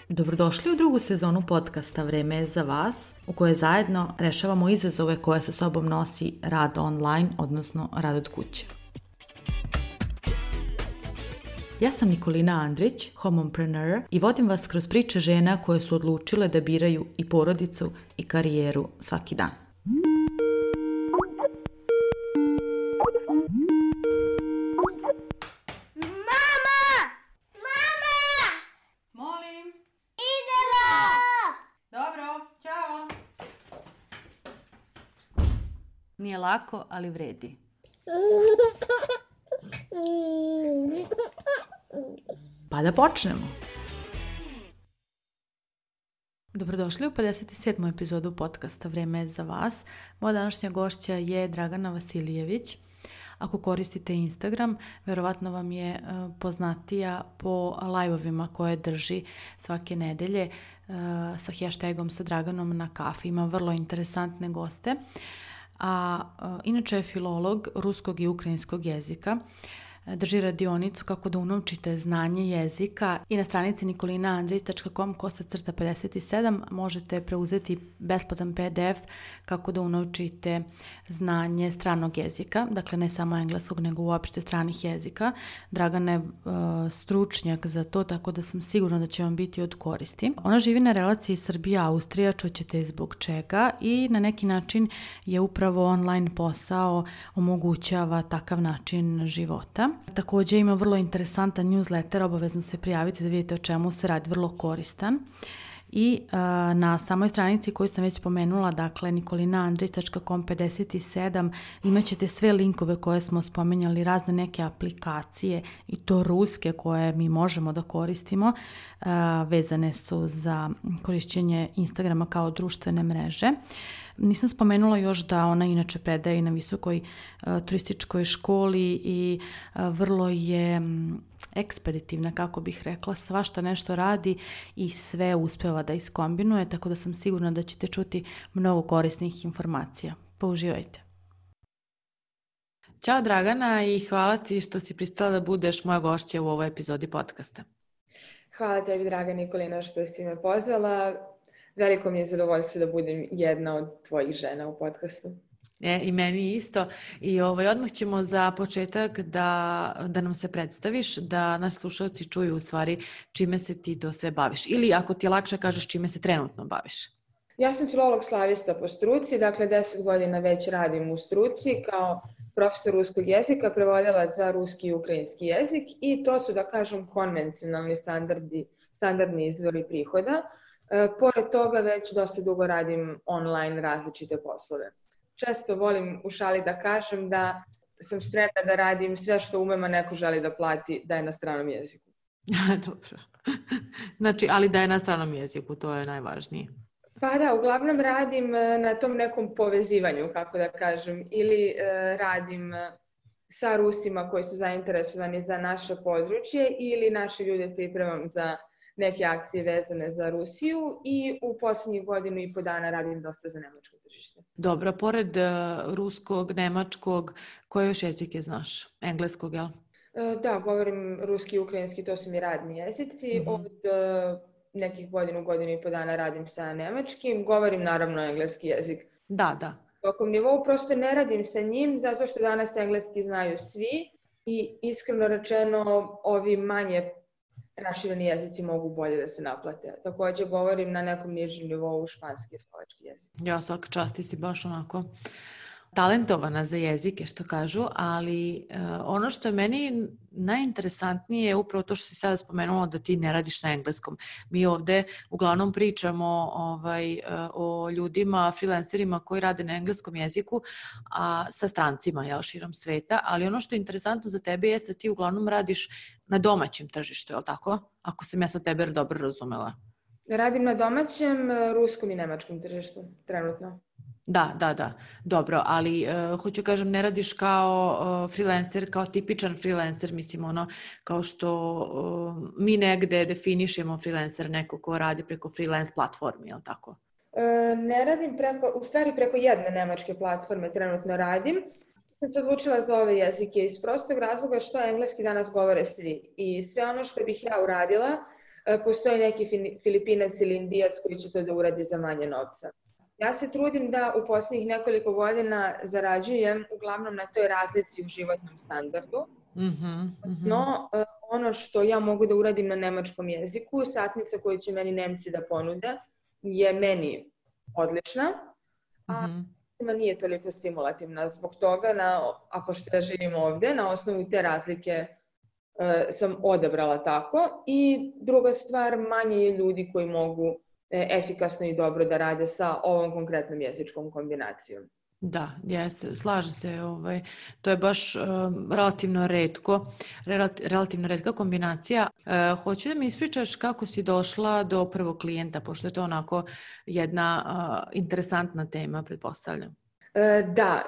Dobrodošli u drugu sezonu podcasta Vreme je za vas, u kojoj zajedno rešavamo izazove koje sa sobom nosi rad online, odnosno rad od kuće. Ja sam Nikolina Andrić, homompreneur, i vodim vas kroz priče žena koje su odlučile da biraju i porodicu i karijeru svaki dan. Nije lako, ali vredi. Pa da počnemo. Dobrodošli u 57. epizodu podcasta Vreme je za vas. Moja današnja gošća je Dragana Vasilijević. Ako koristite Instagram, verovatno vam je poznatija po live-ovima koje drži svake nedelje sa hashtagom sa Draganom na kafi. Ima vrlo interesantne goste. Inače je filolog ruskog i ukrajinskog jezika. Drži radionicu kako da unovčite znanje jezika i na stranici nikolinaandrić.com/57 možete preuzeti besplatan PDF kako da unovčite znanje stranog jezika, dakle ne samo engleskog nego uopšte stranih jezika. Dragana je stručnjak za to, tako da sam sigurna da će vam biti od koristi. Ona živi na relaciji Srbija-Austrija, čućete zbog čega, i na neki način je upravo online posao omogućava takav način života. Također ima vrlo interesantan newsletter, obavezno se prijavite da vidite o čemu se radi, vrlo koristan. I na samoj stranici koju sam već spomenula, dakle nikolinaandrić.com/57, imat ćete sve linkove koje smo spomenjali, razne neke aplikacije i to ruske koje mi možemo da koristimo, vezane su za korišćenje Instagrama kao društvene mreže. Nisam spomenula još da ona inače predaje na visokoj turističkoj školi i vrlo je ekspeditivna, kako bih rekla, svašta nešto radi i sve uspeva da iskombinuje, tako da sam sigurna da ćete čuti mnogo korisnih informacija. Pa uživajte. Ćao Dragana i hvala ti što si pristala da budeš moja gošća u ovoj epizodi podcasta. Hvala tebi, draga Nikolina, što si me pozvala. Veliko mi je zadovoljstvo da budem jedna od tvojih žena u podcastu. I meni isto. I odmah ćemo za početak da nam se predstaviš, da naši slušalci čuju u stvari čime se ti to sve baviš. Ili ako ti je lakše kažeš čime se trenutno baviš. Ja sam filolog slavista po struci, dakle 10 godina već radim u struci kao profesor ruskog jezika, prevodilac za ruski i ukrajinski jezik i to su, da kažem, konvencionalni standardni izvori prihoda. Pored toga već dosta dugo radim online različite poslove. Često volim u šali da kažem da sam spremna da radim sve što umem, a neko želi da plati da je na stranom jeziku. Dobro. Znači, ali da je na stranom jeziku, to je najvažnije. Pa da, uglavnom radim na tom nekom povezivanju, kako da kažem, ili radim sa Rusima koji su zainteresovani za naše područje ili naše ljude pripremam za neke akcije vezane za Rusiju i u posljednjih 1.5 dana radim dosta za nemačko tržište. Dobro, pored ruskog, nemačkog, koje još jezike znaš? Engleskog, jel? Da, govorim ruski i ukrajinski, to su mi radni jezici. Mm-hmm. Od nekih 1.5 dana radim sa nemačkim, govorim naravno engleski jezik. Da. Tokom nivou prosto ne radim sa njim, zato što danas engleski znaju svi i iskreno rečeno ovi manje rašireni jezici mogu bolje da se naplate. Također govorim na nekom nižem nivou španski i slovački jezik. Ja, svaka čast, ti si baš onako talentovana za jezike, što kažu, ali ono što je meni najinteresantnije je upravo to što si sada spomenula da ti ne radiš na engleskom. Mi ovde uglavnom pričamo o ljudima, freelancerima koji rade na engleskom jeziku, a sa strancima, širom sveta, ali ono što je interesantno za tebe je da ti uglavnom radiš na domaćem tržištu, je li tako? Ako sam ja sa tebe dobro razumela. Radim na domaćem, ruskom i nemačkom tržištu, trenutno. Da, dobro, ali hoću kažem, ne radiš kao freelancer, kao tipičan freelancer, mislim kao što mi negde definišemo freelancer, neko ko radi preko freelance platformi, je li tako? Ne radim preko jedne nemačke platforme trenutno radim. Sam se odlučila za ove jezike iz prostog razloga što engleski danas govore svi i sve ono što bih ja uradila postoji neki Filipinac ili Indijac koji će to da uradi za manje novca. Ja se trudim da u posljednjih nekoliko godina zarađujem uglavnom na toj razlici u životnom standardu. No, ono što ja mogu da uradim na nemačkom jeziku, satnica koju će meni Nemci da ponude, je meni odlična, a nije toliko stimulativna. Zbog toga, a pošto ja živim ovde, na osnovu te razlike sam odabrala tako. I druga stvar, manje je ljudi koji mogu efikasno i dobro da rade sa ovom konkretnom jezičkom kombinacijom. Da, jeste, slažem se. To je baš relativno retka kombinacija. Hoću da mi ispričaš kako si došla do prvog klijenta, pošto je to onako jedna interesantna tema, pretpostavljam. Da,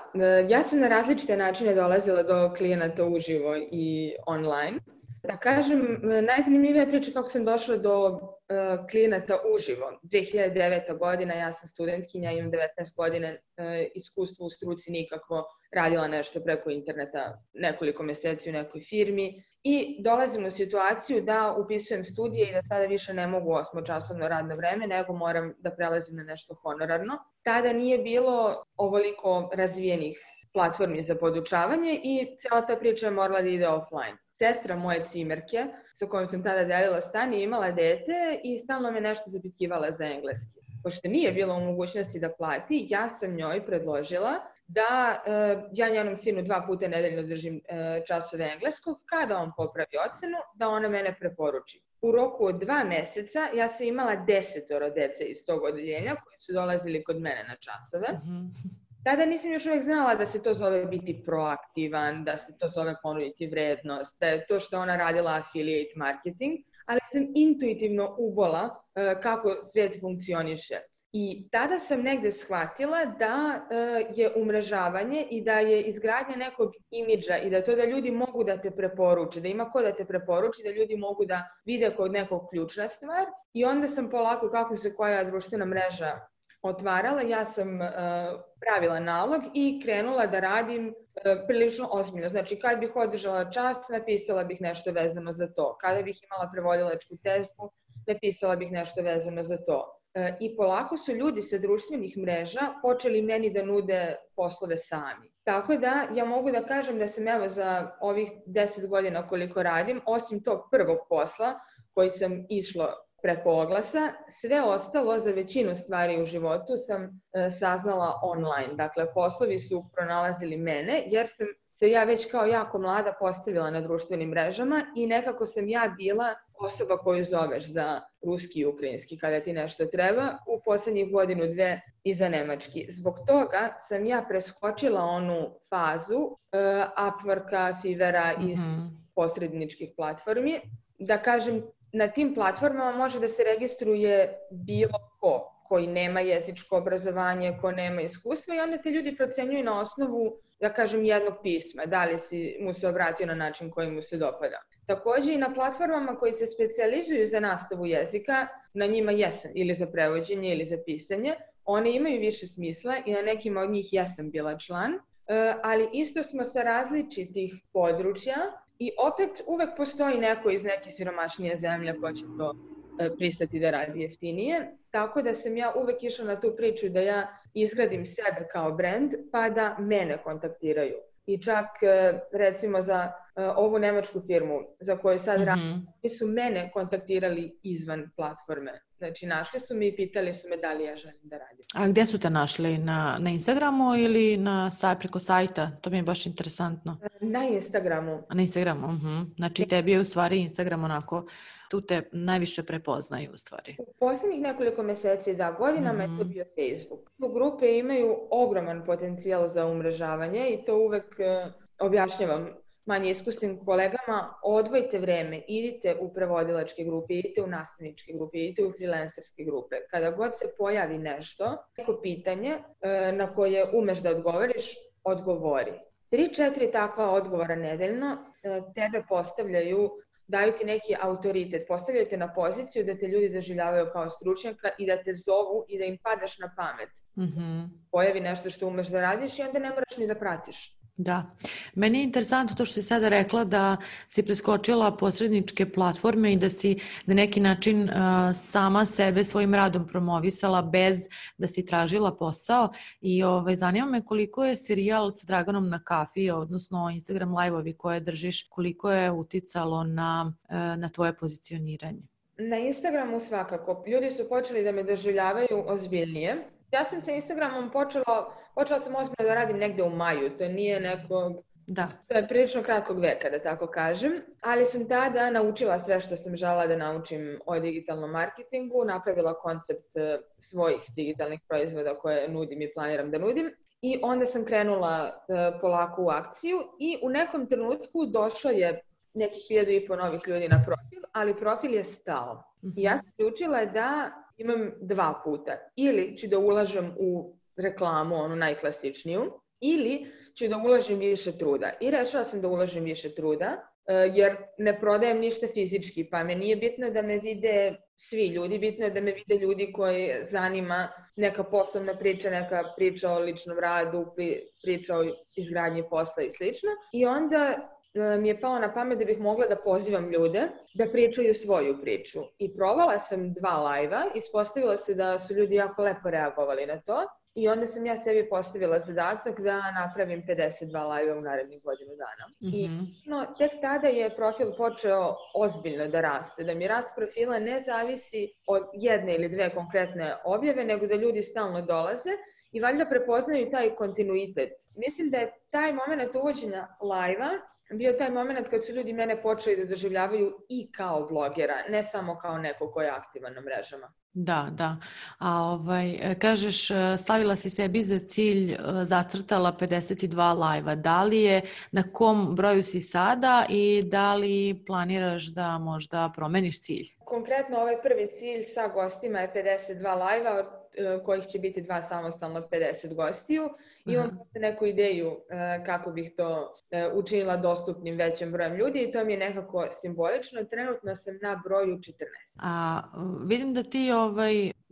ja sam na različite načine dolazila do klijenata uživo i online. Da kažem, najzanimljivija priča kako sam došla do klijenata uživo. 2009. godina, ja sam studentkinja, imam 19 godina iskustva u struci, nikakvo, radila nešto preko interneta nekoliko meseci u nekoj firmi i dolazim u situaciju da upisujem studije i da sada više ne mogu 8-časovno radno vreme, nego moram da prelazim na nešto honorarno. Tada nije bilo ovoliko razvijenih platformi za podučavanje i cijela ta priča je morala da ide offline. Sestra moje cimerke, sa kojom sam tada delila stan, je imala dete i stalno me nešto zapitkivala za engleski. Pošto nije bila u mogućnosti da plati, ja sam njoj predložila da ja njenom sinu 2 puta nedeljno držim časove engleskog, kada on popravi ocenu, da ona mene preporuči. U roku od 2 meseca ja sam imala 10 dece iz tog odeljenja koji su dolazili kod mene na časove. Tada nisam još uvijek znala da se to zove biti proaktivan, da se to zove ponuditi vrednost, da je to što ona radila affiliate marketing, ali sam intuitivno ubola kako svijet funkcioniše. I tada sam negde shvatila da je umrežavanje i da je izgradnja nekog imidža i da to da ljudi mogu da te preporuče, da ima ko da te preporuči, da ljudi mogu da vide kod nekog ključna stvar. I onda sam polako, kako se koja društvena mreža otvarala, ja sam pravila nalog i krenula da radim prilično ozbiljno. Znači, kad bih održala čas, napisala bih nešto vezano za to. Kada bih imala prevodilačku tezgu, napisala bih nešto vezano za to. I polako su ljudi sa društvenih mreža počeli meni da nude poslove sami. Tako da ja mogu da kažem da sam evo za ovih 10 godina koliko radim, osim tog prvog posla koji sam išla preko oglasa, sve ostalo za većinu stvari u životu sam saznala online. Dakle, poslovi su pronalazili mene jer sam se ja već kao jako mlada postavila na društvenim mrežama i nekako sam ja bila osoba koju zoveš za ruski i ukrajinski kada ti nešto treba u poslednjih 1-2 i za nemački. Zbog toga sam ja preskočila onu fazu Upworka, Fivera i posredničkih platformi. Da kažem, na tim platformama može da se registruje bilo ko koji nema jezičko obrazovanje, ko nema iskustva i onda te ljudi procenjuju na osnovu, da kažem, jednog pisma, da li si mu se obratio na način koji mu se dopada. Takođe i na platformama koji se specijalizuju za nastavu jezika, na njima jesam ili za prevođenje ili za pisanje, one imaju više smisla i na nekima od njih jesam bila član, ali isto smo sa različitih područja i opet uvek postoji neko iz neke siromašnije zemlje ko će to pristati da radi jeftinije. Tako da sam ja uvek išla na tu priču da ja izgradim sebe kao brand pa da mene kontaktiraju. I čak recimo za ovu nemačku firmu za koju sad radim, oni su mene kontaktirali izvan platforme. Znači našli su me i pitali su me da li ja želim da radim. A gdje su te našli? Na Instagramu ili preko sajta? To mi je baš interesantno. Na Instagramu. Na Instagramu, Znači tebi je u stvari Instagram onako, tu te najviše prepoznaju u stvari. U posljednjih nekoliko meseci, da, godinama je to bio Facebook. Grupe imaju ogroman potencijal za umrežavanje i to uvek objašnjavam manje iskusnim kolegama, odvojite vreme, idite u prevodilačke grupe, idite u nastavničke grupe, idite u freelancerske grupe. Kada god se pojavi nešto, neko pitanje na koje umeš da odgovoriš, odgovori. 3-4 takva odgovora nedeljno tebe postavljaju, daju ti neki autoritet, postavljaju te na poziciju da te ljudi doživljavaju kao stručnjaka i da te zovu i da im padaš na pamet. Pojavi nešto što umeš da radiš i onda ne moraš ni da pratiš. Da. Meni je interesantno to što si sada rekla da si preskočila posredničke platforme i da si na neki način sama sebe svojim radom promovisala bez da si tražila posao i zanima me koliko je serijal sa Draganom na kafi, odnosno Instagram live-ovi koje držiš, koliko je uticalo na tvoje pozicioniranje. Na Instagramu svakako. Ljudi su počeli da me doživljavaju ozbiljnije. Ja sam sa Instagramom počela sam ozbiljno da radim negde u maju. To nije nekog... Da. To je prilično kratkog veka, da tako kažem. Ali sam tada naučila sve što sam želela da naučim o digitalnom marketingu, napravila koncept svojih digitalnih proizvoda koje nudim i planiram da nudim. I onda sam krenula polako u akciju i u nekom trenutku došlo je nekih 1500 novih ljudi na profil, ali profil je stao. I ja sam odlučila da imam dva puta. Ili ću da ulažem u reklamu, onu najklasičniju, ili ću da ulažem više truda. I rešila sam da ulažem više truda, jer ne prodajem ništa fizički, pa me nije bitno da me vide svi ljudi, bitno je da me vide ljudi koji zanima neka poslovna priča, neka priča o ličnom radu, priča o izgradnji posla i slično. I onda mi je palo na pamet da bih mogla da pozivam ljude da pričaju svoju priču. I probala sam 2 live-a, ispostavilo se da su ljudi jako lepo reagovali na to i onda sam ja sebi postavila zadatak da napravim 52 live-a u narednih godinu dana. I tek tada je profil počeo ozbiljno da raste, da mi rast profila ne zavisi od jedne ili dve konkretne objave, nego da ljudi stalno dolaze i valjda prepoznaju taj kontinuitet. Mislim da je taj moment uvođenja live-a bio taj moment kad su ljudi mene počeli da doživljavaju i kao blogera, ne samo kao neko ko je aktivan na mrežama. Da, da. A kažeš, stavila si sebi za cilj, zacrtala 52 live-a. Da li je, na kom broju si sada i da li planiraš da možda promeniš cilj? Konkretno ovaj prvi cilj sa gostima je 52 live-a, od kojih će biti 2 samostalno 50 gostiju. Imam neku ideju kako bih to učinila dostupnim većem brojem ljudi i to mi je nekako simbolično. Trenutno sam na broju 14. A vidim da ti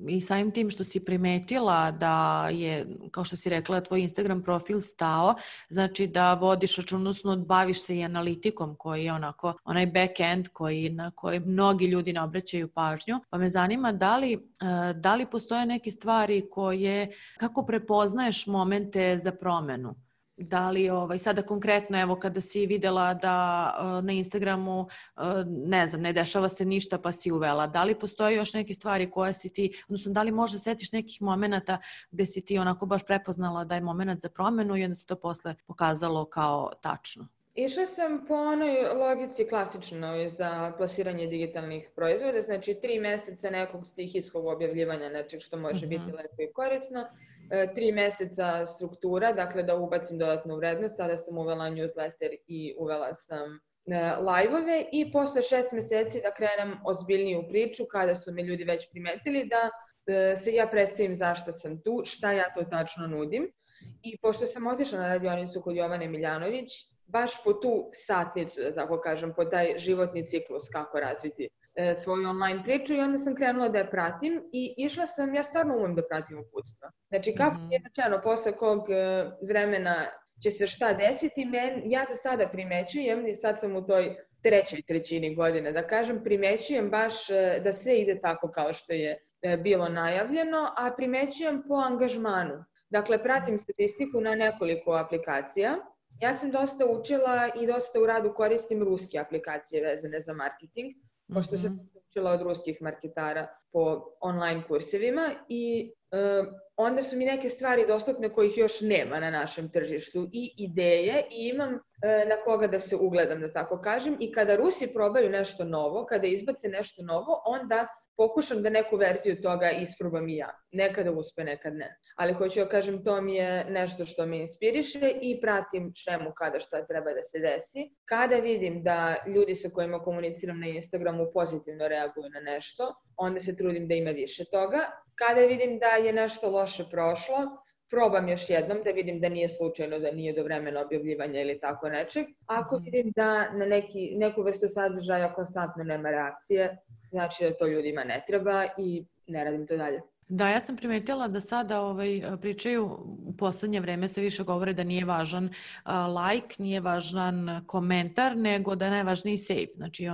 i samim tim što si primetila da je, kao što si rekla, tvoj Instagram profil stao, znači da vodiš račun, odnosno baviš se i analitikom koji je onaj back-end na koji mnogi ljudi ne obraćaju pažnju. Pa me zanima da li postoje neke stvari kako prepoznaješ momente za promenu? Da li sada konkretno, evo kada si videla da na Instagramu ne dešava se ništa pa si uvela, da li postoje još neke stvari koje si ti, odnosno da li možda setiš nekih momenata gde si ti onako baš prepoznala da je moment za promenu i onda se to posle pokazalo kao tačno? Išla sam po onoj logici klasičnoj za plasiranje digitalnih proizvoda, znači 3 meseca nekog stihijskog objavljivanja nečeg što može biti lepo i korisno, 3 meseca struktura, dakle da ubacim dodatnu vrednost, tada sam uvela newsletter i uvela sam live-ove i posle 6 meseci da krenem ozbiljniju priču kada su me ljudi već primetili da se ja predstavim zašto sam tu, šta ja to tačno nudim. I pošto sam otišla na radionicu kod Jovane Miljanović, baš po tu satnicu, da tako kažem, po taj životni ciklus kako razviti svoju online priču i onda sam krenula da je pratim i išla sam, ja stvarno umem da pratim uputstva. Znači kako je rečeno, posle kog vremena će se šta desiti, ja za sada primećujem, i sad sam u toj 3. godine, da kažem, primećujem baš da sve ide tako kao što je bilo najavljeno, a primećujem po angažmanu. Dakle, pratim statistiku na nekoliko aplikacija. Ja sam dosta učila i dosta u radu koristim ruske aplikacije vezane za marketing, pošto sam učila od ruskih marketara po online kursevima i onda su mi neke stvari dostupne kojih još nema na našem tržištu i ideje i imam na koga da se ugledam, da tako kažem. I kada Rusi probaju nešto novo, kada izbace nešto novo, onda pokušam da neku verziju toga isprobam i ja. Nekada uspe, nekad ne. Ali hoću da kažem, to mi je nešto što me inspiriše i pratim čemu kada šta treba da se desi. Kada vidim da ljudi sa kojima komuniciram na Instagramu pozitivno reaguju na nešto, onda se trudim da ima više toga. Kada vidim da je nešto loše prošlo, probam još jednom da vidim da nije slučajno, da nije do vremena objavljivanja ili tako nečeg. Ako vidim da na neku vrstu sadržaja konstantno nema reakcije, znači da to ljudima ne treba i ne radim to dalje. Da, ja sam primetila da sada pričaju u poslednje vreme se više govore da nije važan like, nije važan komentar, nego da je najvažniji save. Znači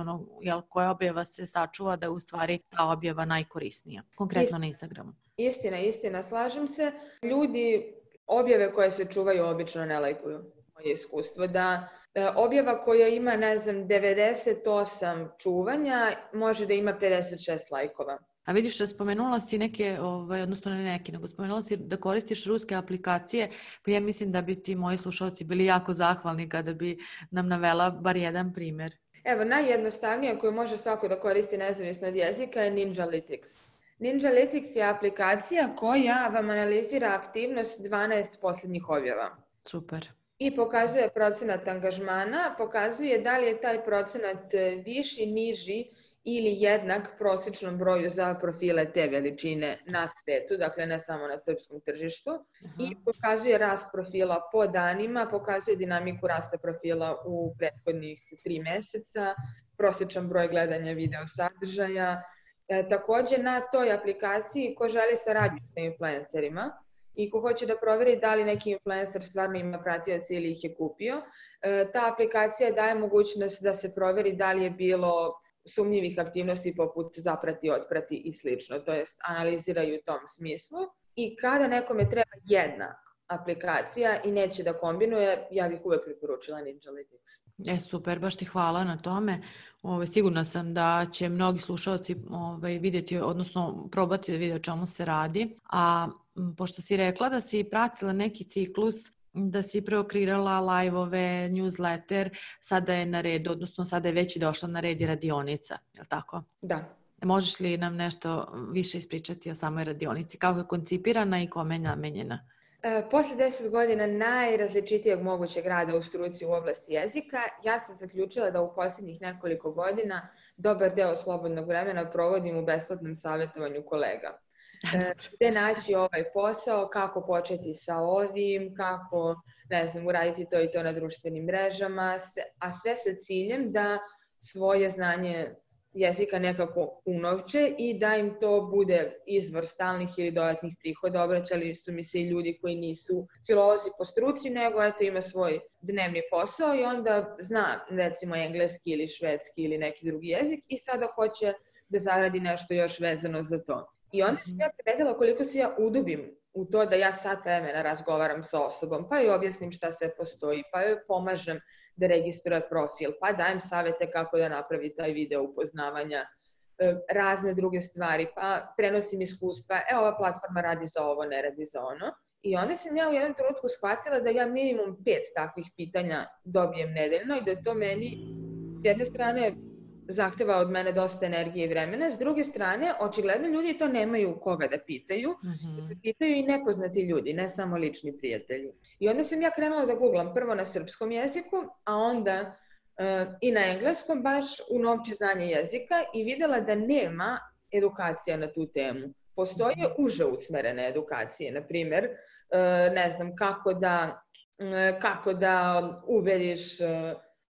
koja objava se sačuva da je u stvari ta objava najkorisnija, konkretno na Instagramu. Istina, slažem se. Ljudi objave koje se čuvaju obično ne lajkuju. Moje iskustvo da objava koja ima, 98 čuvanja, može da ima 56 lajkova. A vidiš, spomenula si neke, odnosno ne neke, nego spomenula si da koristiš ruske aplikacije, pa ja mislim da bi ti moji slušalci bili jako zahvalni kada bi nam navela bar jedan primer. Evo, najjednostavnija koju može svako da koristi nezavisno od jezika je Ninjalytics. Ninjalytics je aplikacija koja vam analizira aktivnost 12 posljednjih objava. Super. I pokazuje procenat angažmana, pokazuje da li je taj procenat viši, niži ili jednak prosječnom broju za profile te veličine na svetu, dakle ne samo na srpskom tržištu. I pokazuje rast profila po danima, pokazuje dinamiku rasta profila u prethodnih 3 meseca, prosječan broj gledanja video sadržaja. Takođe na toj aplikaciji ko želi saradnju sa influencerima i ko hoće da proveri da li neki influencer stvarno ima pratioce ili ih je kupio, ta aplikacija daje mogućnost da se proveri da li je bilo sumnjivih aktivnosti poput zaprati, otprati i slično, to jest analiziraju u tom smislu. I kada nekome treba jedna aplikacija i neće da kombinuje, ja bih uvek preporučila Ninjalytics. Super, baš ti hvala na tome. Sigurna sam da će mnogi slušalci vidjeti, odnosno probati da vide o čemu se radi. A pošto si rekla da si pratila neki ciklus, da si preokreirala live-ove, newsletter, sada je na redu, odnosno sada je već došla na red i radionica, je li tako? Da. Možeš li nam nešto više ispričati o samoj radionici? Kako je koncipirana i kome je namenjena? Posle 10 godina najrazličitijeg mogućeg rada u struci u oblasti jezika, ja sam zaključila da u posljednjih nekoliko godina dobar deo slobodnog vremena provodim u besplatnom savjetovanju kolega. Gde naći ovaj posao, kako početi sa ovim, kako, uraditi to i to na društvenim mrežama, a sve sa ciljem da svoje znanje jezika nekako unovče i da im to bude izvor stalnih ili dodatnih prihoda. Obraćali su mi se i ljudi koji nisu filolozi po struci, nego ima svoj dnevni posao i onda zna recimo engleski ili švedski ili neki drugi jezik i sada hoće da zaradi nešto još vezano za to. I onda sam ja primetila koliko se ja udubim u to da ja sat vremena razgovaram sa osobom, pa joj objasnim šta sve postoji, pa joj pomažem da registruje profil, pa dajem savete kako da napravi taj video upoznavanja, razne druge stvari, pa prenosim iskustva, ova platforma radi za ovo, ne radi za ono. I onda sam ja u jednom trenutku shvatila da ja minimum 5 takvih pitanja dobijem nedeljno i da to meni s jedne strane zahteva od mene dosta energije i vremena, s druge strane, očigledno ljudi to nemaju koga da pitaju, pitaju i nepoznati ljudi, ne samo lični prijatelji. I onda sam ja krenula da googlam prvo na srpskom jeziku, a onda i na engleskom, baš unovči znanje jezika i videla da nema edukacija na tu temu. Postoje uže usmerene edukacije, na primjer, kako da ubediš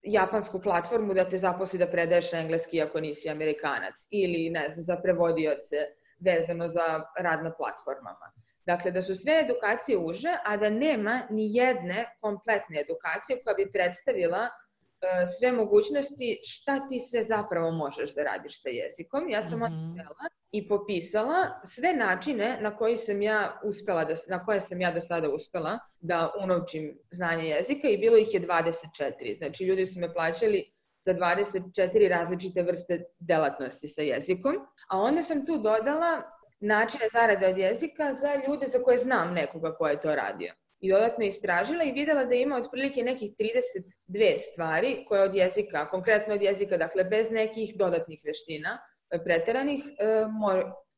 japansku platformu da te zaposli da predaješ engleski ako nisi Amerikanac ili za prevodioce vezano za rad na platformama. Dakle, da su sve edukacije uže, a da nema ni jedne kompletne edukacije koja bi predstavila sve mogućnosti šta ti sve zapravo možeš da radiš sa jezikom. Ja sam onda sela i popisala sve načine na koje sam ja do sada uspela da unovčim znanje jezika i bilo ih je 24. Znači, ljudi su me plaćali za 24 različite vrste delatnosti sa jezikom, a onda sam tu dodala načine zarade od jezika za ljude za koje znam nekoga ko je to radio. I dodatno istražila i videla da ima otprilike nekih 32 stvari koje od jezika, konkretno od jezika, dakle bez nekih dodatnih veština preteranih,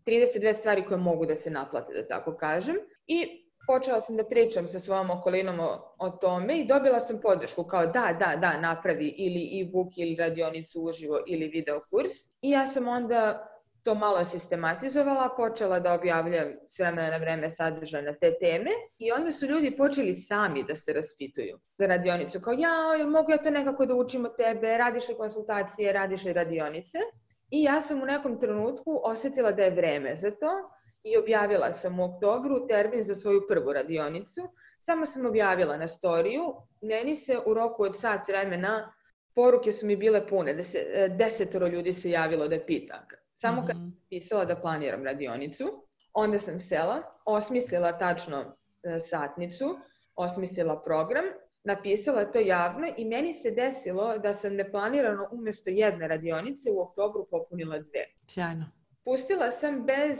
32 stvari koje mogu da se naplate, da tako kažem. I počela sam da pričam sa svojom okolinom o tome i dobila sam podršku kao da, napravi ili e-book ili radionicu uživo ili video kurs. I ja sam onda to malo sistematizovala, počela da objavljam s vremena na vreme sadržaj na te teme i onda su ljudi počeli sami da se raspituju za radionicu. Kao, mogu ja to nekako da učim od tebe, radiš li konsultacije, radiš li radionice? I ja sam u nekom trenutku osetila da je vreme za to i objavila sam u oktobru termin za svoju prvu radionicu. Samo sam objavila na storiju, meni se u roku od sat vremena poruke su mi bile pune, 10 ljudi se javilo da pita. Samo kad sam pisala da planiram radionicu, onda sam sela, osmislila tačno satnicu, osmislila program, napisala to javno i meni se desilo da sam neplanirano umjesto jedne radionice u oktobru popunila 2. Sjajno. Pustila sam bez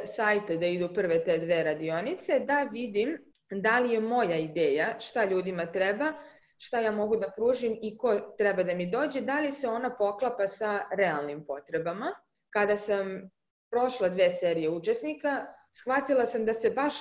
sajta da idu prve te 2 radionice, da vidim da li je moja ideja šta ljudima treba, šta ja mogu da pružim i ko treba da mi dođe, da li se ona poklapa sa realnim potrebama. Kada sam prošla 2 serije učesnika, shvatila sam da se baš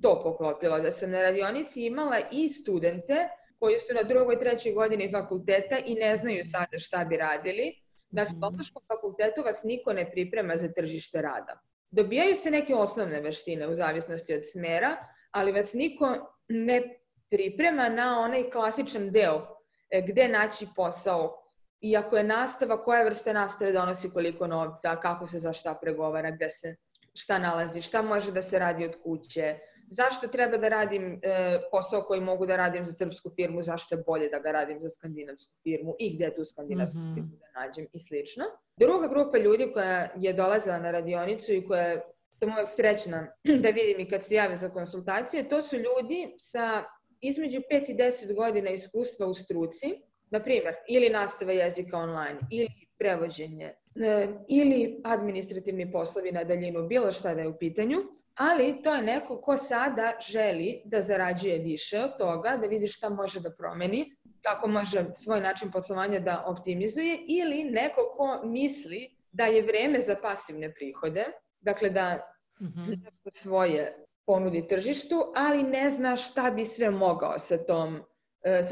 to poklopilo, da sam na radionici imala i studente koji su na 2. i 3. godini fakulteta i ne znaju sada šta bi radili. Na Filološkom fakultetu vas niko ne priprema za tržište rada. Dobijaju se neke osnovne veštine u zavisnosti od smera, ali vas niko ne priprema na onaj klasičan deo gde naći posao. Iako je nastava, koja vrsta nastave donosi koliko novca, kako se za šta pregovara, gde se šta nalazi, šta može da se radi od kuće, zašto treba da radim posao koji mogu da radim za srpsku firmu, zašto je bolje da ga radim za skandinavsku firmu i gde tu skandinavsku firmu da nađem i slično. Druga grupa ljudi koja je dolazila na radionicu i koja sam uvek srećna da vidim i kad se jave za konsultacije, to su ljudi sa između 5 i 10 godina iskustva u struci, na primjer, ili nastava jezika online, ili prevođenje, ili administrativni poslovi na daljinu, bilo šta da je u pitanju, ali to je neko ko sada želi da zarađuje više od toga, da vidi šta može da promeni, kako može svoj način poslovanja da optimizuje, ili neko ko misli da je vreme za pasivne prihode, dakle da nešto svoje ponudi tržištu, ali ne zna šta bi sve mogao sa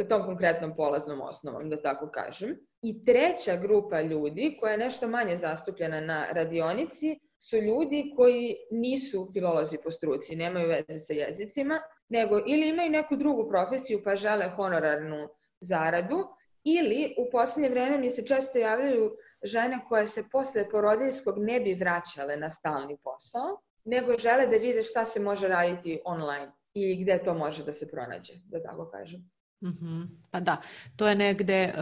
tom konkretnom polaznom osnovom, da tako kažem. I treća grupa ljudi, koja je nešto manje zastupljena na radionici, su ljudi koji nisu filolozi po struci, nemaju veze sa jezicima, nego ili imaju neku drugu profesiju pa žele honorarnu zaradu, ili u poslednje vreme mi se često javljaju žene koje se posle porodiljskog ne bi vraćale na stalni posao, nego žele da vide šta se može raditi online i gde to može da se pronađe, da tako kažem. Pa da, to je negde,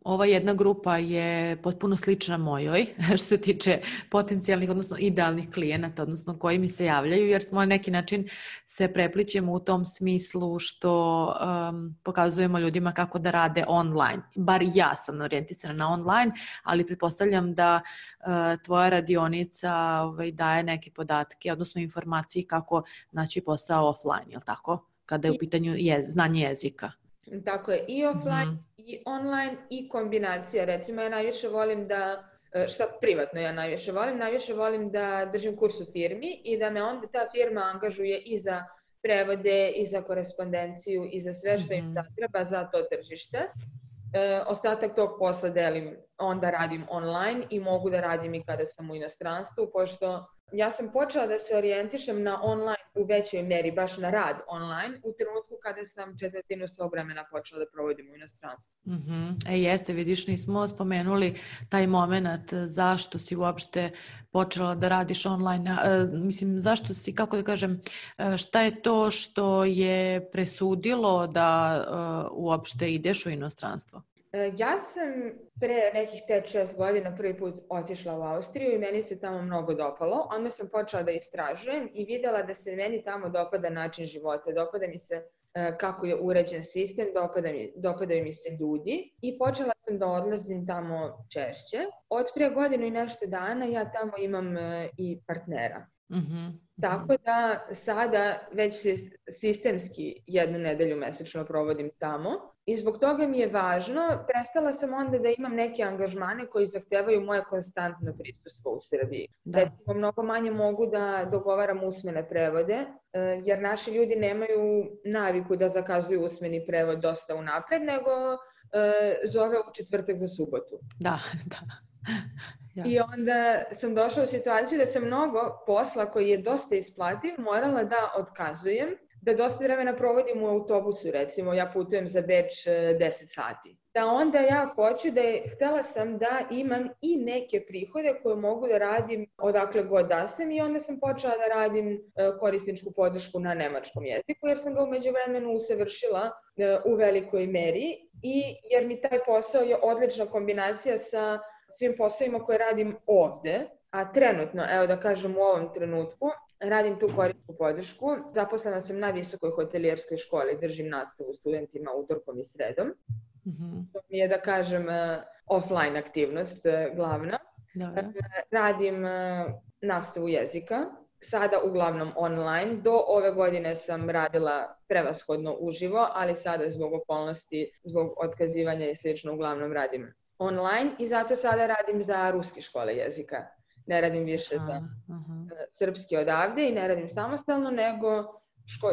ova jedna grupa je potpuno slična mojoj što se tiče potencijalnih, odnosno idealnih klijenata, odnosno koji mi se javljaju, jer smo na neki način se preplićemo u tom smislu što pokazujemo ljudima kako da rade online. Bar ja sam orijentisana na online, ali pretpostavljam da tvoja radionica daje neke podatke, odnosno informacije kako naći posao offline, je li tako? Kada je u pitanju znanje jezika. Tako je, i offline, i online, i kombinacija. Recimo, ja najviše volim da, privatno ja najviše volim da držim kurs u firmi i da me onda ta firma angažuje i za prevode, i za korespondenciju, i za sve što im treba za to tržište. Ostatak tog posla onda radim online i mogu da radim i kada sam u inostranstvu, pošto ja sam počela da se orijentišem na online u većoj meri, baš na rad online, u trenutku kada sam 1/4 svog vremena počela da provodim u inostranstvu. Jeste, vidiš, nismo spomenuli taj moment zašto si uopšte počela da radiš online. Mislim, zašto si, kako da kažem, šta je to što je presudilo da uopšte ideš u inostranstvo? Ja sam pre nekih 5-6 godina prvi put otišla u Austriju i meni se tamo mnogo dopalo. Onda sam počela da istražujem i videla da se meni tamo dopada način života. Dopada mi se kako je uređen sistem, dopadaju mi se ljudi i počela sam da odlazim tamo češće. Od prije godinu i nešto dana ja tamo imam i partnera. Tako da sada već sistemski 1 nedelju mesečno provodim tamo i zbog toga mi je važno, prestala sam onda da imam neke angažmane koji zahtevaju moje konstantno prisustvo u Srbiji. Recimo, mnogo manje mogu da dogovaram usmene prevode, jer naši ljudi nemaju naviku da zakazuju usmeni prevod dosta unapred, nego zove u četvrtak za subotu. Da. I onda sam došla u situaciju da sam mnogo posla koji je dosta isplativ morala da otkazujem, da dosta vremena provodim u autobusu, recimo ja putujem za Beč 10 sati. da onda ja hoću htela sam da imam i neke prihode koje mogu da radim odakle god da sam i onda sam počela da radim korisničku podršku na nemačkom jeziku jer sam ga u međuvremenu usavršila u velikoj meri i jer mi taj posao je odlična kombinacija sa svim poslovima koje radim ovde, a trenutno, evo da kažem u ovom trenutku, radim tu korisničku podršku. Zaposlena sam na Visokoj hotelijerskoj školi, držim nastavu studentima utorkom i sredom. To mi je, da kažem, offline aktivnost glavna. Radim nastavu jezika, sada uglavnom online. Do ove godine sam radila prevashodno uživo, ali sada zbog okolnosti, zbog otkazivanja i slično, uglavnom radim online i zato sada radim za ruske škole jezika. Ne radim više za srpski odavde i ne radim samostalno, nego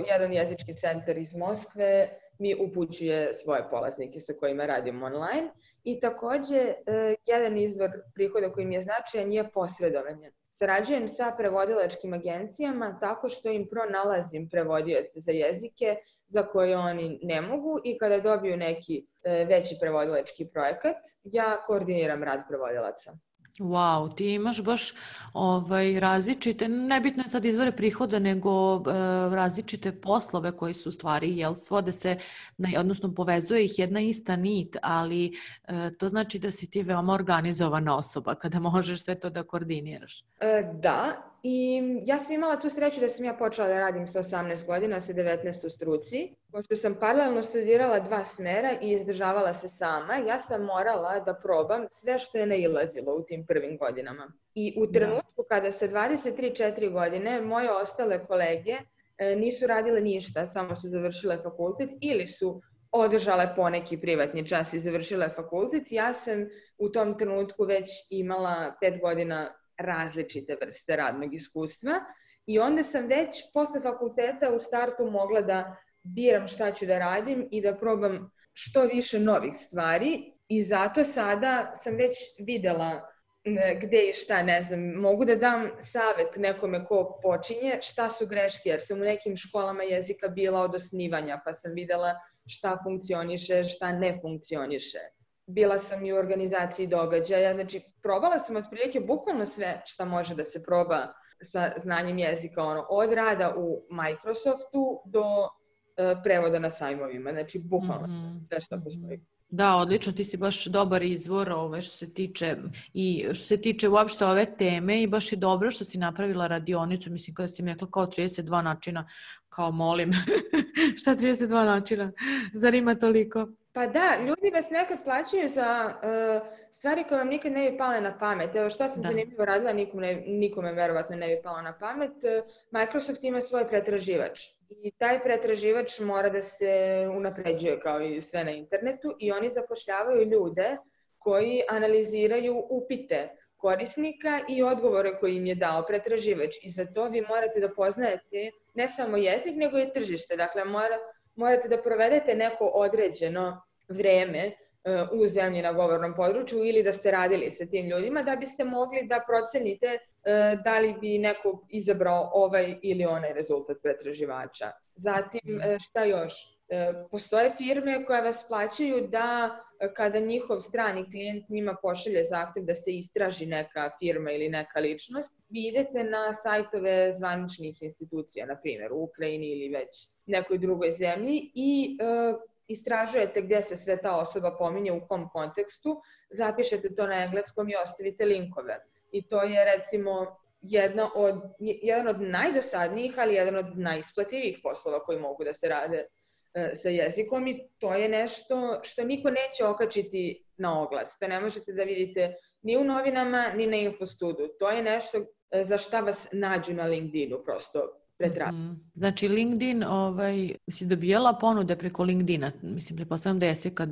jedan jezički centar iz Moskve mi upućuje svoje polaznike sa kojima radim online. I takođe, jedan izvor prihoda koji mi je značajan je posredovanje. Sarađujem sa prevodilačkim agencijama tako što im pronalazim prevodioce za jezike za koje oni ne mogu i kada dobiju neki veći prevodilački projekat, ja koordiniram rad prevodilaca. Wow, ti imaš baš različite, nebitno je sad izvore prihoda, nego različite poslove koji su u stvari, jel, svode se, odnosno povezuje ih jedna ista nit, ali to znači da si ti veoma organizovana osoba kada možeš sve to da koordiniraš. Da, i ja sam imala tu sreću da sam ja počela da radim sa 18 godina, sa 19 u struci. Pošto sam paralelno studirala 2 smera i izdržavala se sama, ja sam morala da probam sve što je nailazilo u tim prvim godinama. I u trenutku kada sa 23-4 godine moje ostale kolege nisu radile ništa, samo su završile fakultet ili su održale poneki privatni čas i završile fakultet, ja sam u tom trenutku već imala 5 godina različite vrste radnog iskustva i onda sam već posle fakulteta u startu mogla da biram šta ću da radim i da probam što više novih stvari i zato sada sam već videla gde i šta, ne znam, mogu da dam savet nekome ko počinje šta su greške, jer sam u nekim školama jezika bila od osnivanja pa sam videla šta funkcioniše, šta ne funkcioniše. Bila sam i u organizaciji događaja, znači probala sam otprilike bukvalno sve šta može da se proba sa znanjem jezika, od rada u Microsoftu do prevoda na sajmovima, znači bukvalno sve što postoji. Da, odlično, ti si baš dobar izvor što se tiče uopšte ove teme i baš je dobro što si napravila radionicu, mislim kada si mi rekla kao 32 načina, kao molim, šta 32 načina, zar ima toliko? Pa da, ljudi vas nekad plaćaju za stvari koje vam nikad ne bi pale na pamet. Evo šta sam zanimljivo radila, nikome verovatno ne bi palo na pamet. Microsoft ima svoj pretraživač i taj pretraživač mora da se unapređuje kao i sve na internetu i oni zapošljavaju ljude koji analiziraju upite korisnika i odgovore koje im je dao pretraživač. I za to vi morate da poznajete ne samo jezik, nego i tržište. Dakle, morate da provedete neko određeno vreme u zemlji na govornom području ili da ste radili sa tim ljudima da biste mogli da procenite da li bi neko izabrao ovaj ili onaj rezultat pretraživača. Zatim, šta još? Postoje firme koje vas plaćaju da kada njihov strani klijent njima pošalje zahtev da se istraži neka firma ili neka ličnost, vi idete na sajtove zvaničnih institucija, na primjer u Ukrajini ili već nekoj drugoj zemlji i istražujete gdje se sve ta osoba pominje, u kom kontekstu, zapišete to na engleskom i ostavite linkove. I to je recimo jedan od najdosadnijih, ali jedan od najisplativijih poslova koji mogu da se rade sa jezikom i to je nešto što niko neće okačiti na oglas. To ne možete da vidite ni u novinama, ni na Infostudu. To je nešto za šta vas nađu na LinkedInu, prosto pretražu. Znači LinkedIn, si dobijala ponude preko LinkedIna? Mislim, pretpostavljam da jesi kad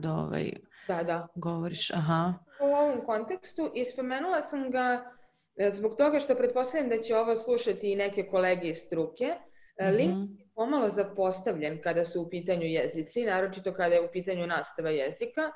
govoriš. Aha. U ovom kontekstu i spomenula sam ga zbog toga što pretpostavljam da će ovo slušati i neke kolege iz struke. LinkedIn je pomalo zapostavljen kada su u pitanju jezici, naročito kada je u pitanju nastava jezika.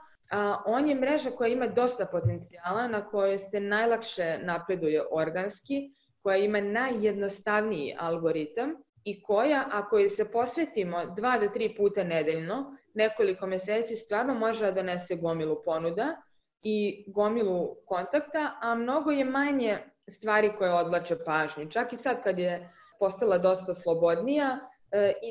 On je mreža koja ima dosta potencijala, na kojoj se najlakše napreduje organski, koja ima najjednostavniji algoritam i koja, ako joj se posvetimo 2 do 3 puta nedeljno, nekoliko meseci, stvarno može da donese gomilu ponuda i gomilu kontakta, a mnogo je manje stvari koje odvlače pažnju. Čak i sad kad je postala dosta slobodnija,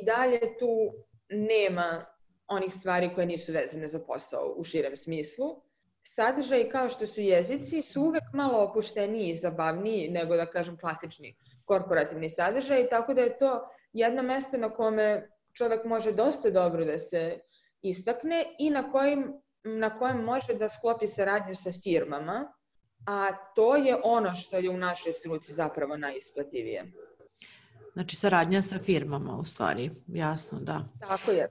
i dalje tu nema onih stvari koje nisu vezane za posao u širem smislu. Sadržaji kao što su jezici su uvek malo opušteniji i zabavniji nego, da kažem, klasični korporativni sadržaj, tako da je to jedno mesto na kome čovek može dosta dobro da se istakne i na kojem može da sklopi saradnju sa firmama, a to je ono što je u našoj struci zapravo najisplativije. Znači saradnja sa firmama u stvari, jasno, da. Tako je.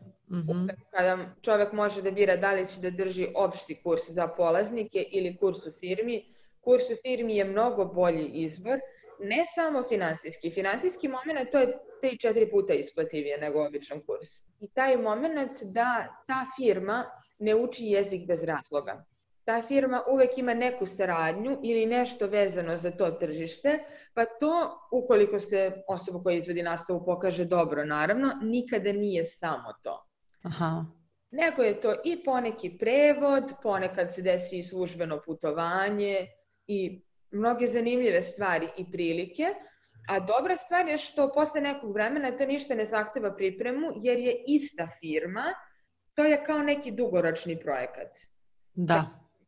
Kada čovek može da bira da li će da drži opšti kurs za polaznike ili kurs u firmi, kurs u firmi je mnogo bolji izbor, ne samo finansijski. Finansijski moment to je 3-4 puta isplativije nego običan kurs. I taj moment da ta firma ne uči jezik bez razloga. Ta firma uvek ima neku saradnju ili nešto vezano za to tržište, pa to, ukoliko se osoba koja izvodi nastavu pokaže dobro, naravno, nikada nije samo to. Aha. Nego je to i poneki prevod, ponekad se desi i službeno putovanje i mnoge zanimljive stvari i prilike, a dobra stvar je što posle nekog vremena to ništa ne zahteva pripremu, jer je ista firma, to je kao neki dugoročni projekat. Da.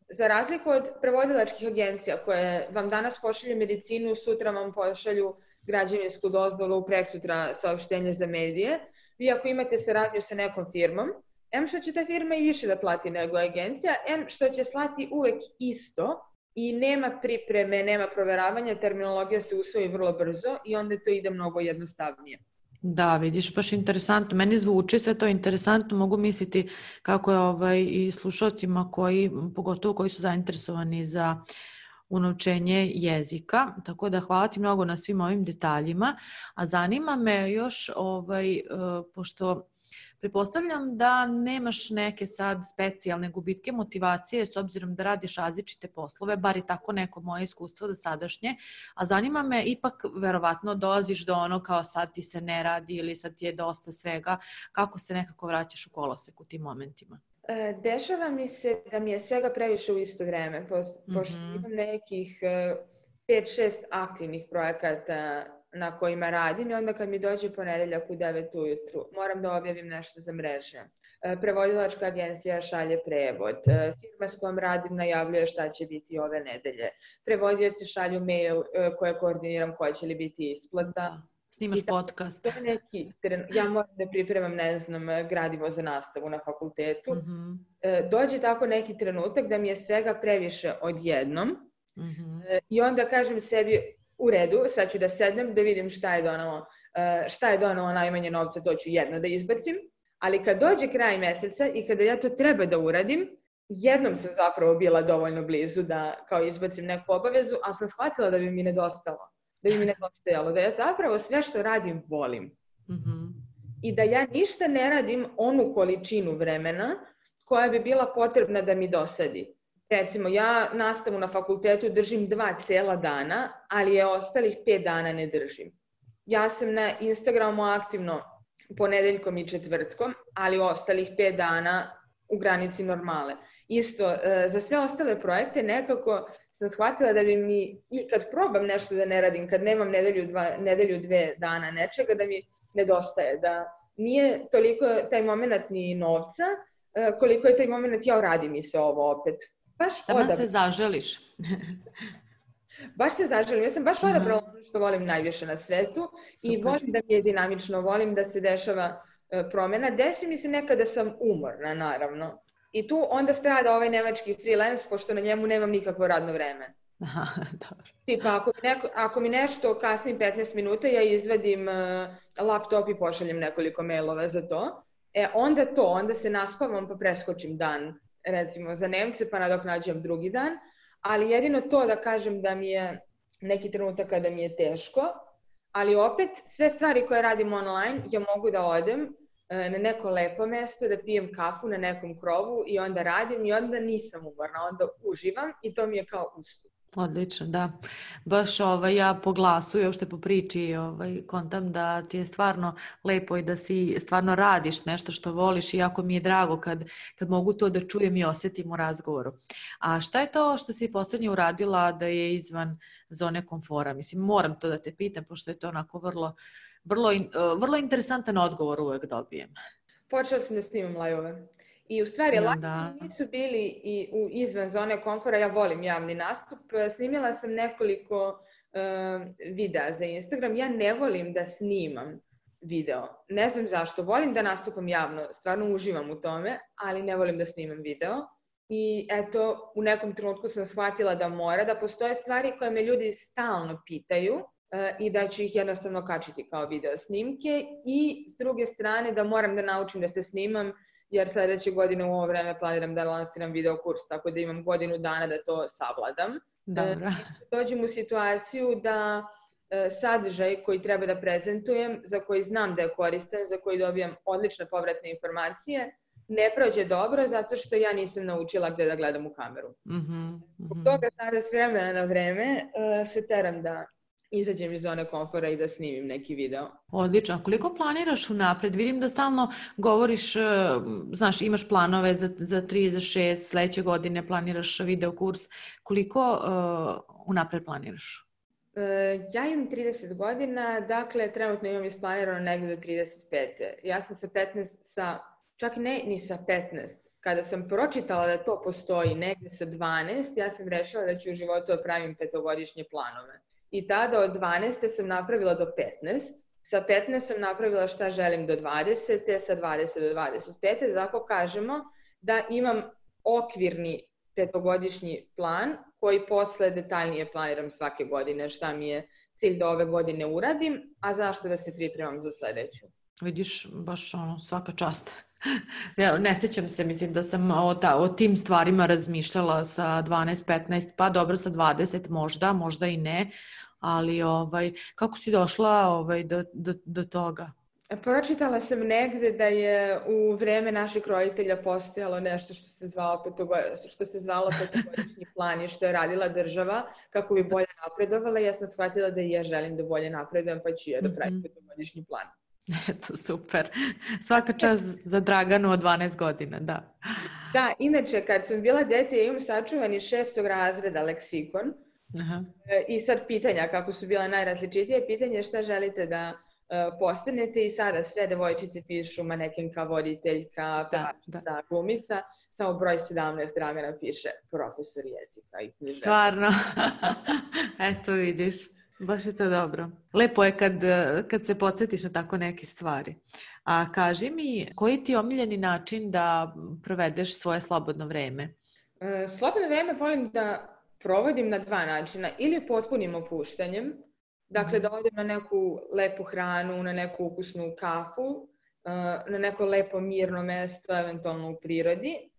Za razliku od prevodilačkih agencija koje vam danas pošalju medicinu, sutra vam pošalju građevinsku dozvolu, preksutra saopštenje za medije, vi ako imate saradnju sa nekom firmom, em što će ta firma i više da plati nego agencija, em što će slati uvek isto i nema pripreme, nema proveravanja, terminologija se usvoji vrlo brzo i onda to ide mnogo jednostavnije. Da, vidiš, baš interesantno. Meni zvuči sve to interesantno, mogu misliti kako je i slušalcima pogotovo koji su zainteresovani za unovčenje jezika, tako da hvala ti mnogo na svim ovim detaljima, a zanima me još, pošto pretpostavljam da nemaš neke sad specijalne gubitke motivacije s obzirom da radiš različite poslove, bar i tako neko moje iskustvo do sadašnje, a zanima me, ipak verovatno dolaziš do ono kao sad ti se ne radi ili sad ti je dosta svega, kako se nekako vraćaš u kolosek u tim momentima? Dešava mi se da mi je svega previše u isto vreme, pošto imam nekih 5-6 aktivnih projekata na kojima radim i onda kad mi dođe ponedeljak u 9 ujutru, moram da objavim nešto za mreže. Prevodilačka agencija šalje prevod, firma s kojom radim najavljuje šta će biti ove nedelje, prevodioci šalju mail koje koordiniram koja će li biti isplata. Snimaš podcast. Ja moram da pripremam, gradivo za nastavu na fakultetu. Dođe tako neki trenutak da mi je svega previše odjednom i onda kažem sebi, u redu, sad ću da sednem, da vidim šta je donalo najmanje novca, to ću jedno da izbacim, ali kad dođe kraj meseca i kada ja to treba da uradim, jednom sam zapravo bila dovoljno blizu da kao izbacim neku obavezu, ali sam shvatila da bi mi nedostajalo, da ja zapravo sve što radim volim. I da ja ništa ne radim onu količinu vremena koja bi bila potrebna da mi dosadi. Recimo, ja nastavu na fakultetu držim 2 cela dana, ali je ostalih 5 dana ne držim. Ja sam na Instagramu aktivno ponedeljkom i četvrtkom, ali ostalih 5 dana u granici normale. Isto, za sve ostale projekte nekako sam shvatila da bi mi, i kad probam nešto da ne radim, kad nemam nedelju 2 dana nečega, da mi nedostaje, da nije toliko taj moment ni novca, koliko je taj moment ja radi mi se ovo opet. Da se zaželiš. Baš se zaželim. Ja sam baš odabrala ono što volim najviše na svetu i volim da mi je dinamično, volim da se dešava promjena. Desi mi se nekada da sam umorna, naravno. I tu onda strada ovaj nemački freelance, pošto na njemu nemam nikakvo radno vreme. Aha, dobro. Tipa, ako mi nešto kasni 15 minuta, ja izvadim laptop i pošaljem nekoliko mailova za to. Onda se naspavam pa preskočim dan, recimo za Nemce, pa nadoknađujem drugi dan. Ali jedino to da kažem da mi je neki trenutak kada mi je teško, ali opet sve stvari koje radim online, ja mogu da odem na neko lepo mesto, da pijem kafu na nekom krovu i onda radim i onda nisam umorna, onda uživam i to mi je kao usput. Odlično, da. Baš ja po glasu i uopšte po priči kontam da ti je stvarno lepo i da si stvarno radiš nešto što voliš i jako mi je drago kad mogu to da čujem i osjetim u razgovoru. A šta je to što si poslednje uradila da je izvan zone komfora? Mislim, moram to da te pitam, pošto je to onako vrlo interesantan odgovor uvek dobijem. Počela sam da snimam live-ove. I u stvari, live nisu bili i izvan zone komfora, ja volim javni nastup. Snimila sam nekoliko videa za Instagram. Ja ne volim da snimam video. Ne znam zašto. Volim da nastupam javno, stvarno uživam u tome, ali ne volim da snimam video. I eto, u nekom trenutku sam shvatila da postoje stvari koje me ljudi stalno pitaju i da ću ih jednostavno kačiti kao video snimke. I s druge strane da moram da naučim da se snimam, jer sledeće godine u ovo vreme planiram da lansiram video kurs, tako da imam godinu dana da to savladam. Dobro. Dođem u situaciju da sadržaj koji treba da prezentujem, za koji znam da je koristan, za koji dobijam odlične povratne informacije, ne prođe dobro zato što ja nisam naučila gde da gledam u kameru. Zbog toga sada s vremena na vreme se teram da izađem iz zone komfora i da snimim neki video. Odlično. A koliko planiraš unapred? Vidim da stalno govoriš, znaš, imaš planove za 3, za 6, sledeće godine planiraš video kurs. Koliko unapred planiraš? Ja imam 30 godina, dakle, trenutno imam isplanirano negde do 35. Ja sam čak ne ni sa 15. Kada sam pročitala da to postoji negde sa 12, ja sam rešila da ću u životu da pravim 5-godišnje planove. I tada od 12. sam napravila do 15. Sa 15 sam napravila šta želim do 20. Sa 20 do 25. Da tako kažemo da imam okvirni 5-godišnji plan koji posle detaljnije planiram svake godine šta mi je cilj da ove godine uradim, a zašto da se pripremam za sledeću. Vidiš, baš svaka čast. Ja, ne sjećam se, mislim da sam o tim stvarima razmišljala sa 12-15, pa dobro sa 20 možda i ne, ali kako si došla do toga? Pročitala sam negde da je u vreme naših roditelja postojalo nešto što se zvalo 5-godišnji plan i što je radila država kako bi bolje napredovala. Ja sam shvatila da i ja želim da bolje napredujem, pa ću ja da pravim 5-godišnji plan. Eto, super. Svaka čast za Draganu od 12 godina, da. Da, inače, kad sam bila dete, ja imam sačuvani 6. razreda leksikon. I sad pitanja, kako su bila najrazličitije, pitanje šta želite da postanete i sada sve devojčice pišu manekenka, voditeljka, pevačica, glumica, samo broj 17 Dragana piše profesor jezika i književnika. Stvarno, eto vidiš. Baš je to dobro. Lepo je kad se podsjetiš na tako neke stvari. A kaži mi, koji ti je omiljeni način da provedeš svoje slobodno vreme? Slobodno vreme volim da provodim na 2 načina. Ili potpunim opuštanjem, dakle da odem na neku lepu hranu, na neku ukusnu kafu, na neko lepo mirno mesto, eventualno u prirodi.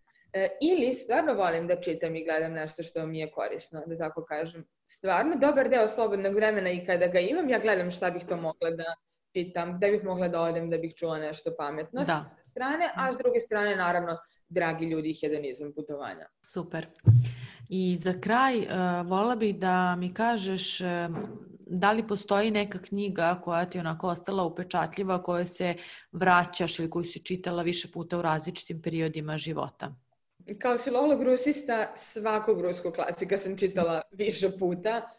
Ili stvarno volim da čitam i gledam nešto što mi je korisno, da tako kažem. Stvarno, dobar deo slobodnog vremena i kada ga imam, ja gledam šta bih to mogla da čitam, da bih mogla da odem, da bih čula nešto pametno s jedne strane, a s druge strane, naravno, dragi ljudi i hedonizam putovanja. Super. I za kraj, voljela bih da mi kažeš da li postoji neka knjiga koja ti je onako ostala upečatljiva, koje se vraćaš ili koju si čitala više puta u različitim periodima života? Kao filolog rusista, svakog ruskog klasika sam čitala više puta.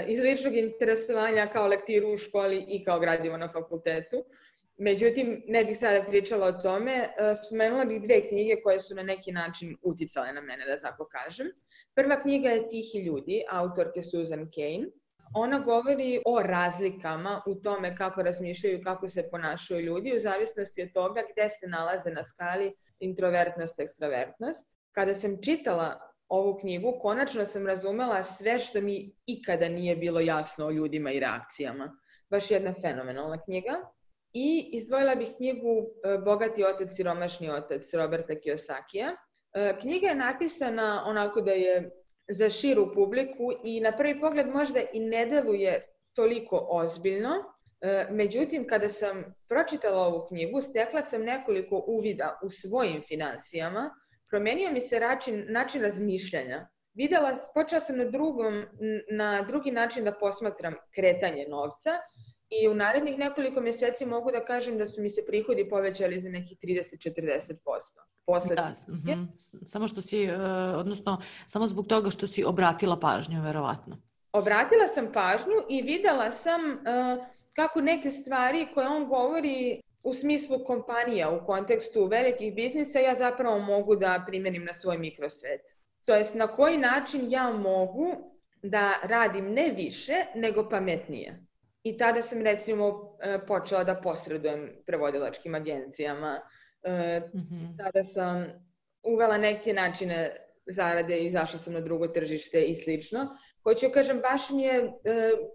Iz ličnog interesovanja kao lektiru u školi i kao gradivo na fakultetu. Međutim, ne bih sada pričala o tome. Spomenula bih 2 knjige koje su na neki način uticale na mene, da tako kažem. Prva knjiga je Tihi ljudi, autorke Susan Cain. Ona govori o razlikama u tome kako razmišljaju i kako se ponašaju ljudi u zavisnosti od toga gde se nalaze na skali introvertnost, ekstravertnost. Kada sam čitala ovu knjigu, konačno sam razumela sve što mi ikada nije bilo jasno o ljudima i reakcijama. Baš jedna fenomenalna knjiga. I izdvojila bih knjigu Bogati otac, siromašni otac Roberta Kiyosakija. Knjiga je napisana onako da je za širu publiku i na prvi pogled možda i ne deluje toliko ozbiljno. Međutim, kada sam pročitala ovu knjigu, stekla sam nekoliko uvida u svojim finansijama, promenio mi se način razmišljanja. počela sam na drugi način da posmatram kretanje novca i u narednih nekoliko mjeseci mogu da kažem da su mi se prihodi povećali za nekih 30-40%. Da, samo što si, odnosno samo zbog toga što si obratila pažnju, verovatno. Obratila sam pažnju i videla sam kako neke stvari koje on govori u smislu kompanija, u kontekstu velikih biznisa, ja zapravo mogu da primenim na svoj mikrosvet. To jest na koji način ja mogu da radim ne više, nego pametnije. I tada sam recimo počela da posredujem prevodilačkim agencijama. Tada sam uvela neke načine zarade i izašla sam na drugo tržište i slično. Hoću kažem, baš mi je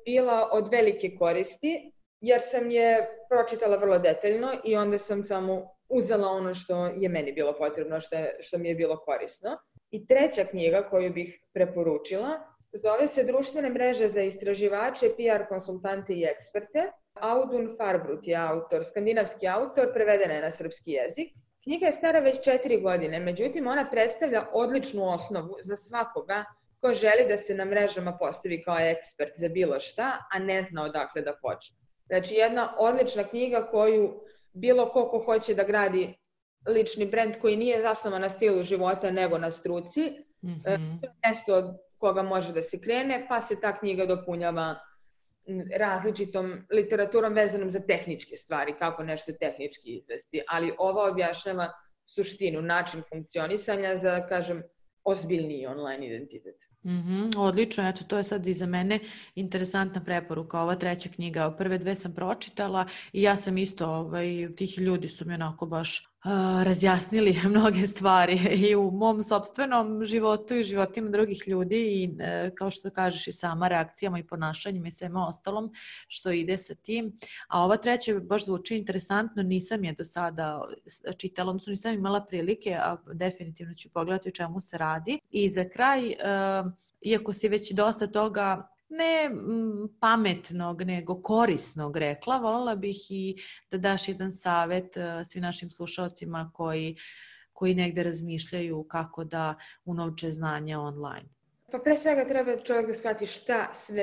bila od velike koristi, jer sam je pročitala vrlo detaljno i onda sam samo uzela ono što je meni bilo potrebno, što mi je bilo korisno. I treća knjiga koju bih preporučila zove se Društvene mreže za istraživače, PR konsultante i eksperte. Audun Farbrut je autor, skandinavski autor, prevedena je na srpski jezik. Knjiga je stara već 4 godine, međutim ona predstavlja odličnu osnovu za svakoga ko želi da se na mrežama postavi kao ekspert za bilo šta, a ne zna odakle da počne. Znači jedna odlična knjiga koju bilo ko hoće da gradi lični brend koji nije zasnovan na stilu života nego na struci, to je mesto od koga može da se krene, pa se ta knjiga dopunjava različitom literaturom vezanom za tehničke stvari, kako nešto tehnički izvesti, ali ova objašnjava suštinu, način funkcionisanja za, kažem, ozbiljniji online identitet. Odlično, eto to je sad i za mene interesantna preporuka, ova treća knjiga, prve 2 sam pročitala i ja sam isto, tih ljudi su mi onako baš razjasnili mnoge stvari i u mom sopstvenom životu i životima drugih ljudi i kao što kažeš i sama reakcijama i ponašanjima i svema ostalom što ide sa tim. A ova treća baš zvuči interesantno, nisam je do sada čitala, odnosno nisam imala prilike, a definitivno ću pogledati o čemu se radi. I za kraj, iako si već dosta toga ne pametnog, nego korisnog rekla, voljela bih i da daš jedan savjet svim našim slušalcima koji negde razmišljaju kako da unovče znanja online. Pa pre svega treba čovjek da shvati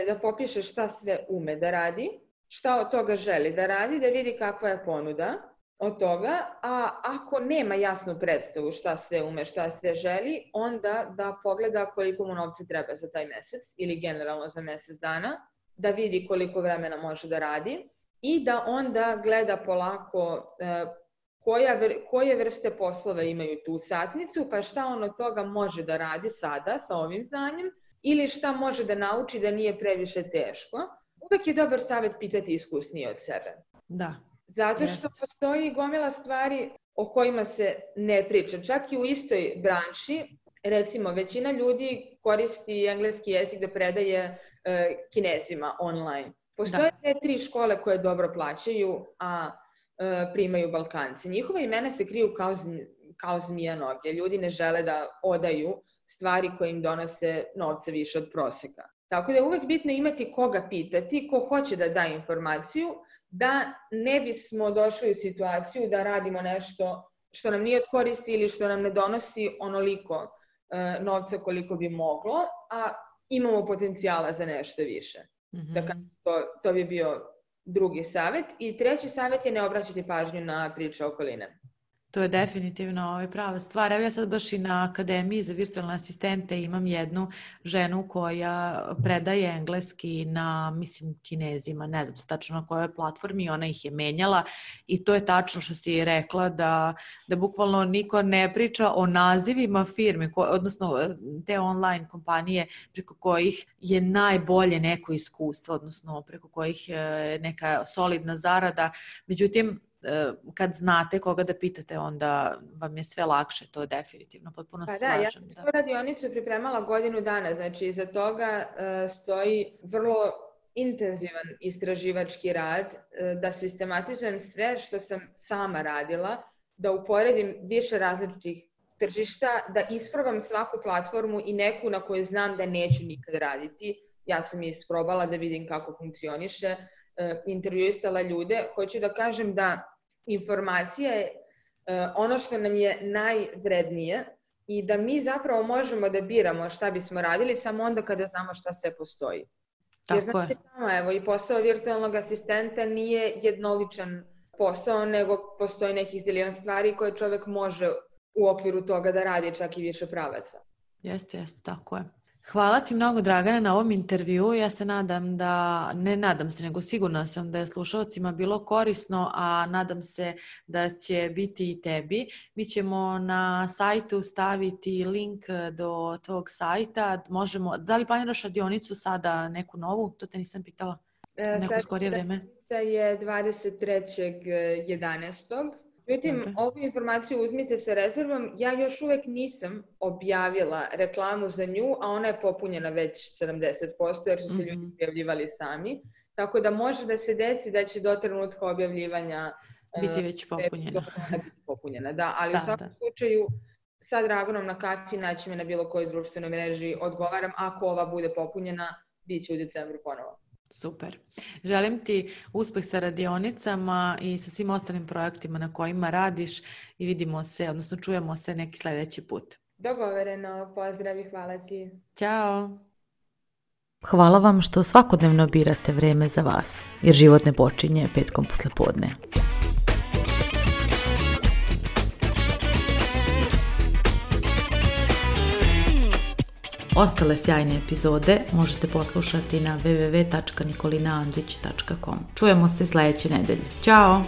da popiše šta sve ume da radi, šta od toga želi da radi, da vidi kakva je ponuda od toga, a ako nema jasnu predstavu šta sve ume, šta sve želi, onda da pogleda koliko mu novca treba za taj mesec ili generalno za mesec dana, da vidi koliko vremena može da radi i da onda gleda polako koje vrste poslova imaju tu satnicu, pa šta on od toga može da radi sada sa ovim znanjem ili šta može da nauči da nije previše teško. Uvek je dobar savjet pitati iskusnije od sebe. Da. Zato što postoji gomila stvari o kojima se ne priča. Čak i u istoj branši, recimo, većina ljudi koristi engleski jezik da predaje Kinezima online. Postoje 2-3 škole koje dobro plaćaju, a primaju Balkanci. Njihova imena se kriju kao zmija noge. Ljudi ne žele da odaju stvari koje im donose novce više od proseka. Tako da je uvek bitno imati koga pitati, ko hoće da da informaciju, da ne bismo došli u situaciju da radimo nešto što nam nije od koristi ili što nam ne donosi onoliko novca koliko bi moglo, a imamo potencijala za nešto više. Dakle, to bi bio drugi savjet. I treći savjet je ne obraćati pažnju na priče okoline. To je definitivno prava stvar. Evo ja sad baš i na Akademiji za virtualne asistente imam jednu ženu koja predaje engleski na, mislim, Kinezima, ne znam tačno na kojoj platformi, ona ih je menjala i to je tačno što si rekla da bukvalno niko ne priča o nazivima firme, odnosno te online kompanije preko kojih je najbolje neko iskustvo, odnosno preko kojih je neka solidna zarada. Međutim, kad znate koga da pitate, onda vam je sve lakše, to definitivno, potpuno se slažem. Ja sam svoju radionicu pripremala godinu dana, znači iza toga stoji vrlo intenzivan istraživački rad, da sistematizujem sve što sam sama radila, da uporedim više različitih tržišta, da isprobam svaku platformu i neku na kojoj znam da neću nikad raditi. Ja sam je isprobala da vidim kako funkcioniše, intervjuisala ljude. Hoću da kažem da informacija je ono što nam je najvrednije i da mi zapravo možemo da biramo šta bismo radili samo onda kada znamo šta sve postoji. Jer znate samo, evo, i posao virtualnog asistenta nije jednoličan posao, nego postoji nekih zilion stvari koje čovjek može u okviru toga da radi čak i više pravaca. Jeste, tako je. Hvala ti mnogo, Dragana, na ovom intervju. Ja se nadam nego sigurna sam da je slušalcima bilo korisno, a nadam se da će biti i tebi. Mi ćemo na sajtu staviti link do tvog sajta. Da li planiraš radionicu sada, neku novu? To te nisam pitala. Neko skorije vreme. Je 23.11. Međutim, ovu informaciju uzmite sa rezervom. Ja još uvek nisam objavila reklamu za nju, a ona je popunjena već 70%, jer su se ljudi prijavljivali sami. Tako da može da se desi da će do trenutka objavljivanja biti već popunjena. Da, ali u svakom slučaju sa Draganom na kafi naći me na bilo kojoj društvenoj mreži, odgovaram. Ako ova bude popunjena, bit će u decembru ponovo. Super. Želim ti uspeh sa radionicama i sa svim ostalim projektima na kojima radiš i vidimo se, odnosno čujemo se neki sljedeći put. Dogovoreno. Pozdrav i hvala ti. Ćao. Hvala vam što svakodnevno birate vreme za vas, jer život ne počinje petkom poslepodne. Ostale sjajne epizode možete poslušati na www.nikolinaandrić.com. Čujemo se sljedeće nedelje. Ćao!